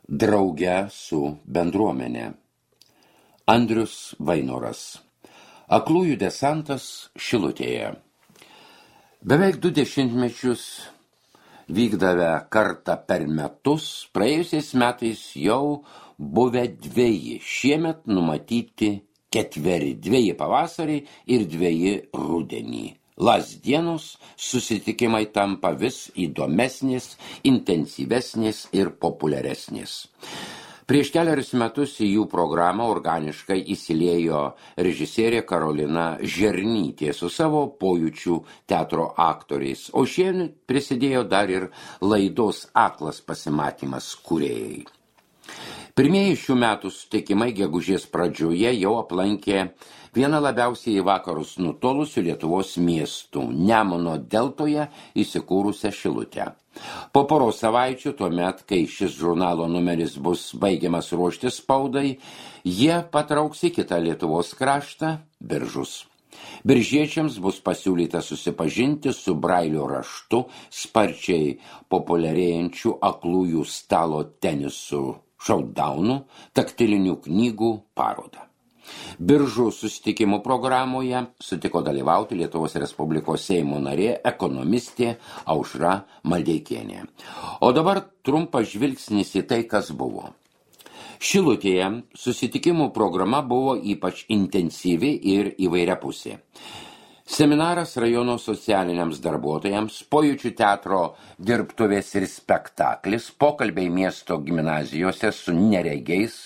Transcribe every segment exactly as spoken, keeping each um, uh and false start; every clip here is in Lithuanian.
Drauge su bendruomenė. Andrius Vainoras. Aklųjų desantas Šilutėje. Beveik du dešimtmečius vykdavę kartą per metus, praėjusiais metais jau buvę dveji, šiemet numatyti ketveri, dveji pavasarį ir dveji rudenį. Lasdienos susitikimai tampa vis įdomesnės, intensyvesnės ir populiaresnės. Prieš keliarius metus į jų programą organiškai įsiliejo režisierė Karolina Žernytė su savo pojūčių teatro aktoriais, o šiandien prisidėjo dar ir laidos Aklas pasimatymas kūrėjai. Pirmieji šių metų sutikimai gegužės pradžioje jau aplankė vieną labiausiai į vakarus nutolusių Lietuvos miestų, Nemuno deltoje įsikūrusią Šilutę. Po poros savaičių, tuomet, kai šis žurnalo numeris bus baigiamas ruošti spaudai, jie patrauks į kitą Lietuvos kraštą, Biržus. Biržiečiams bus pasiūlyta susipažinti su Brailio raštu, sparčiai populiarėjančių aklųjų stalo tenisų šaudaunų, taktilinių knygų parodą. Biržų susitikimų programoje sutiko dalyvauti Lietuvos Respublikos Seimo narė, ekonomistė Aušra Maldeikienė. O dabar trumpas žvilgsnis į tai, kas buvo. Šilutėje susitikimų programa buvo ypač intensyvi ir įvairiapusė. Seminaras rajono socialiniams darbuotojams, pojūčių teatro dirbtuvės ir spektaklis, pokalbiai miesto gimnazijose su neregiais,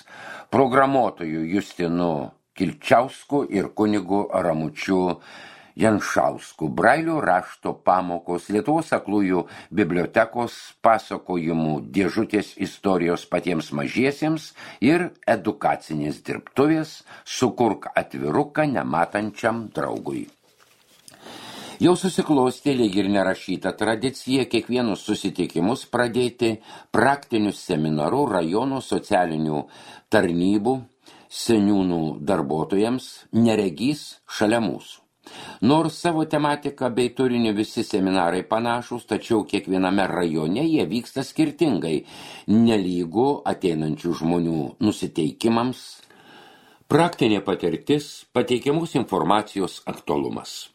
programuotojų Justinu Kilčiausku ir kunigu Ramučiu Janšausku, Brailio rašto pamokos, Lietuvos aklųjų bibliotekos pasakojimų dėžutės istorijos patiems mažiesiems ir edukacinės dirbtuvės Sukurk atviruką nematančiam draugui. Jau susiklostė lyg ir nerašyta tradicija kiekvienus susitikimus pradėti praktiniu seminaru rajono socialinių tarnybų, seniūnų darbuotojams, neregys šalia mūsų. Nors savo tematiką bei turinį visi seminarai panašus, tačiau kiekviename rajone jie vyksta skirtingai, nelygu ateinančių žmonių nusiteikimams, praktinė patirtis, pateikiamos informacijos aktualumas.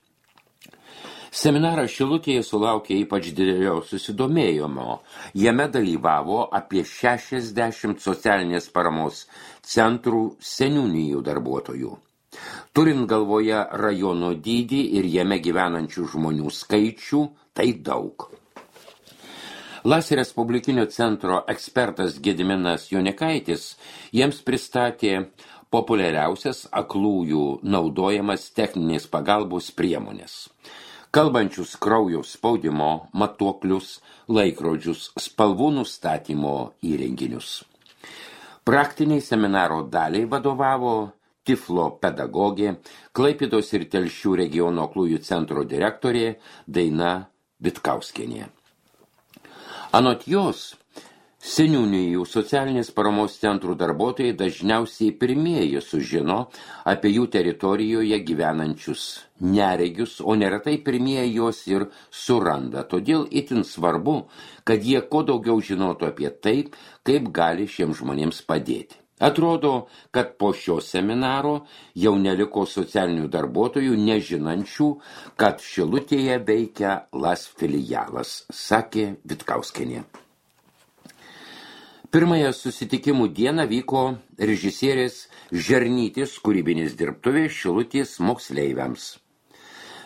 Seminaras Šilutėje sulaukė ypač didelio susidomėjimo. Jame dalyvavo apie šešiasdešimt socialinės paramos centrų seniūnijų darbuotojų. Turint galvoje rajono dydį ir jame gyvenančių žmonių skaičių, tai daug. Las Respublikinio centro ekspertas Gediminas Jonikaitis jiems pristatė populiariausias aklųjų naudojamas techninės pagalbos priemonės. Kalbančius kraujo spaudimo matuoklius, laikrodžius, spalvų nustatymo įrenginius. Praktiniai seminaro daliai vadovavo Tiflo pedagogė, Klaipėdos ir Telšių regiono aklųjų centro direktorė Daina Vitkauskienė. Anot jos, seniūnijų socialinės paramos centrų darbuotojai dažniausiai pirmieji sužino apie jų teritorijoje gyvenančius neregius, o neretai pirmieji juos ir suranda. Todėl itin svarbu, kad jie kuo daugiau žinotų apie tai, kaip gali šiems žmonėms padėti. Atrodo, kad po šio seminaro jau neliko socialinių darbuotojų nežinančių, kad Šilutėje veikia Las filialas, sakė Vitkauskienė. Pirmąją susitikimų dieną vyko režisierės Žernytės kūrybinės dirbtuvės Šilutės moksleiviams.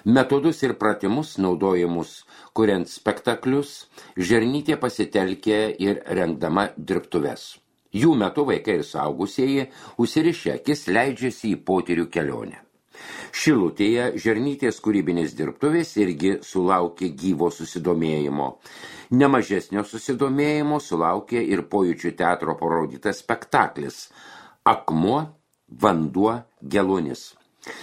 Metodus ir pratimus naudojamus kuriant spektaklius, Žernytė pasitelkė ir rengdama dirbtuves. Jų metu vaikai ir suaugusieji užsirišę akis leidžiasi į potyrių kelionę. Šilutėje Žernytės kūrybinės dirbtuvės irgi sulaukė gyvo susidomėjimo. Nemažesnio susidomėjimo sulaukė ir pojūčių teatro parodytas spektaklis Akmuo, vanduo, geluonis.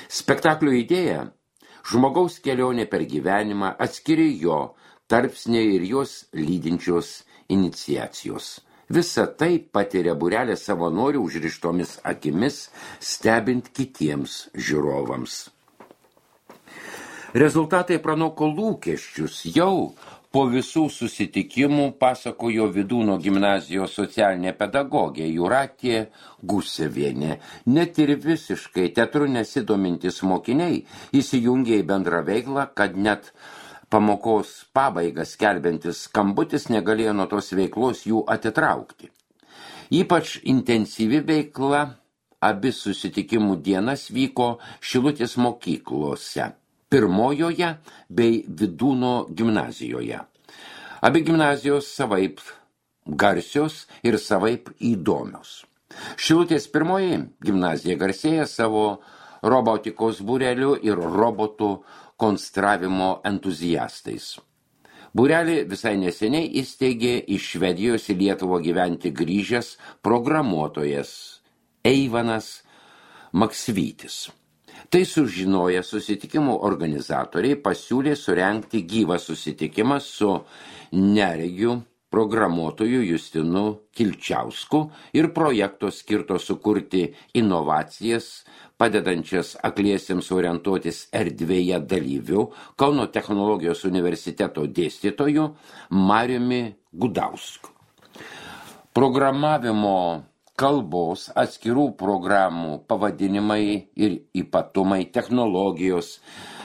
Spektaklio idėja – žmogaus kelionė per gyvenimą, atskiri jo tarpsniai ir jos lydinčios iniciacijos. Visa tai patiria būrelė savanorių užrištomis akimis, stebint kitiems žiūrovams. Rezultatai pranoko lūkesčius. Jau Po visų susitikimų, pasakojo Vydūno gimnazijos socialinė pedagogė Jūratė Gusevienė, net ir visiškai teatru nesidomintis mokiniai įsijungė į bendrą veiklą, kad net pamokos pabaigas skelbiantis skambutis negalėjo nuo tos veiklos jų atitraukti. Ypač intensyvi veikla abi susitikimų dienas vyko Šilutės mokyklose. Pirmojoje bei Vydūno gimnazijoje. Abi gimnazijos savaip garsios ir savaip įdomios. Šilutės pirmoji gimnazija garsėja savo robotikos būreliu ir robotų konstravimo entuziastais. Būrelį visai neseniai įsteigė iš Švedijos į Lietuvą gyventi grįžęs programuotojas Eivanas Maksvytis. Tai sužinoję susitikimų organizatoriai pasiūlė surengti gyvą susitikimą su neregiu programuotoju Justinu Kilčiausku ir projekto skirto sukurti inovacijas, padedančias akliesiems orientuotis erdvėje dalyvių, Kauno technologijos universiteto dėstytoju Mariumi Gudausku. Programavimo kalbos, atskirų programų pavadinimai ir ypatumai, technologijos,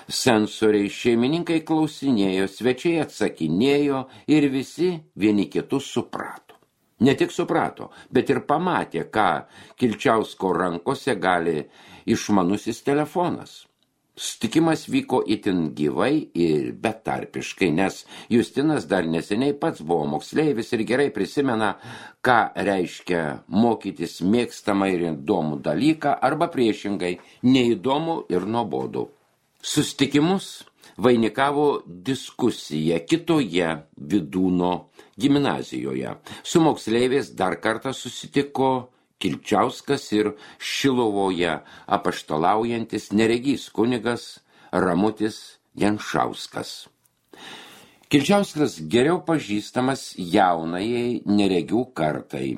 sensoriai, šeimininkai klausinėjo, svečiai atsakinėjo ir visi vieni kitus suprato. Ne tik suprato, bet ir pamatė, ką Kilčiausko rankose gali išmanusis telefonas. Sutikimas vyko itin gyvai ir betarpiškai, nes Justinas dar neseniai pats buvo moksleivis ir gerai prisimena, ką reiškia mokytis mėgstamą ir įdomų dalyką arba priešingai neįdomų ir nuobodų. Susitikimus vainikavo diskusija kitoje Vydūno gimnazijoje. Su moksleiviais dar kartą susitiko Kilčiauskas ir Šiluvoje apaštalaujantis neregys kunigas Ramutis Janšauskas. Kilčiauskas geriau pažįstamas jaunajai neregių kartai.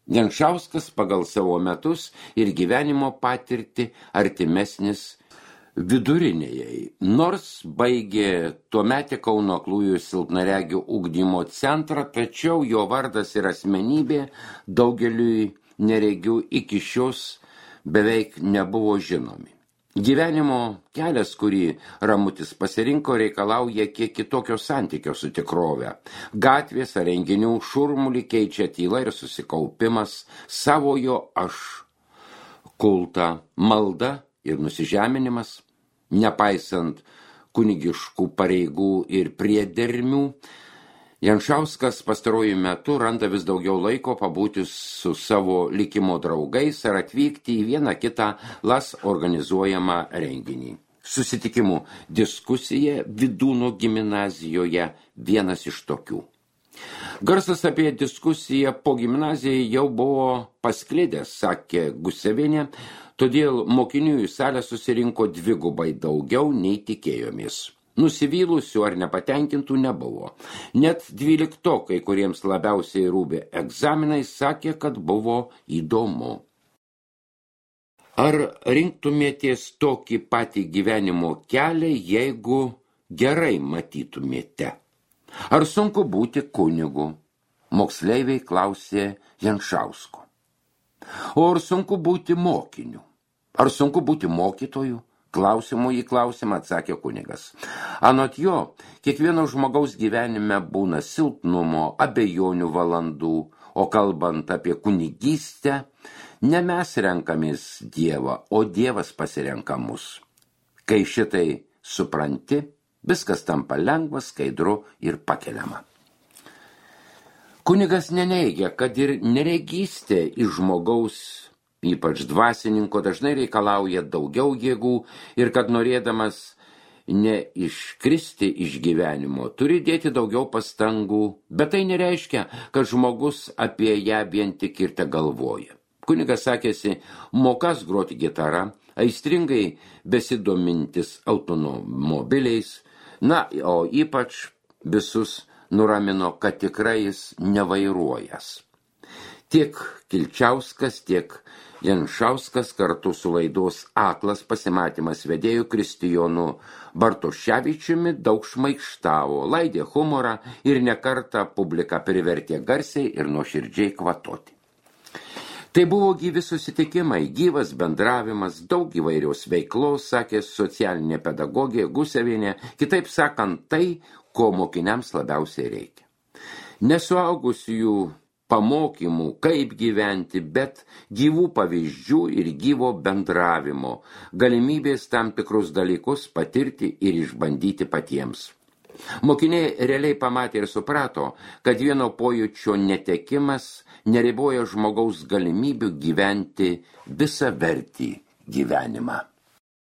Janšauskas pagal savo metus ir gyvenimo patirtį artimesnis vidurinėjai. Nors baigė tuometį Kauno aklųjų silpnaregių ugdymo centrą, tačiau jo vardas ir asmenybė daugeliui neregių iki šios beveik nebuvo žinomi. Gyvenimo kelias, kurį Ramutis pasirinko, reikalauja kiek kitokio santykio su tikrove. Gatvės ar renginių šurmulį keičia tyla ir susikaupimas, savojo aš kultą, malda ir nusižeminimas, nepaisant kunigiškų pareigų ir priedermių. Janšauskas pastaruoju metu randa vis daugiau laiko pabūti su savo likimo draugais ar atvykti į vieną kitą las organizuojamą renginį. Susitikimų diskusija Vydūno gimnazijoje vienas iš tokių. Garsas apie diskusiją po gimnaziją jau buvo pasklidęs, sakė Gusevienė, todėl mokinių į salę susirinko dvigubai daugiau nei tikėjomės. Nusivylusių ar nepatenkintų nebuvo. Net dvyliktokai, kuriems labiausiai rūpė egzaminai, sakė, kad buvo įdomu. Ar rinktumėtės tokį patį gyvenimo kelią, jeigu gerai matytumėte? Ar sunku būti kunigu? Moksleiviai klausė Janšausko. O ar sunku būti mokiniu? Ar sunku būti mokytoju? Klausimų į klausimą atsakė kunigas. Anot jo, kiekvieno žmogaus gyvenime būna silpnumo, abejonių valandų, o kalbant apie kunigystę, ne mes renkamės Dievą, o Dievas pasirenka mus. Kai šitai supranti, viskas tampa lengva, skaidru ir pakeliama. Kunigas neneigia, kad ir neregystė iš žmogaus, ypač dvasininko, dažnai reikalauja daugiau jėgų ir kad norėdamas neiškristi iš gyvenimo, turi dėti daugiau pastangų, bet tai nereiškia, kad žmogus apie ją vien tik ir te galvoja. Kunigas sakėsi, mokas groti gitarą, aistringai besidomintis automobiliais, na, o ypač visus nuramino, kad tikrai jis nevairuojas. Tiek Kilčiauskas, tiek Janšauskas kartu su laidos Aklas pasimatymas vedėjų Kristijonu Bartoševičiumi daug šmaikštavo, laidė humorą ir nekartą publiką privertė garsiai ir nuoširdžiai kvatoti. Tai buvo gyvi susitikimai, gyvas bendravimas, daug įvairios veiklos, sakė socialinė pedagogė Gusevienė, kitaip sakant tai, ko mokiniams labiausiai reikia. Nesuaugusiųjų pamokymų, kaip gyventi, bet gyvų pavyzdžių ir gyvo bendravimo, galimybės tam tikrus dalykus patirti ir išbandyti patiems. Mokiniai realiai pamatė ir suprato, kad vieno pojūčio netekimas neriboja žmogaus galimybių gyventi visavertį gyvenimą.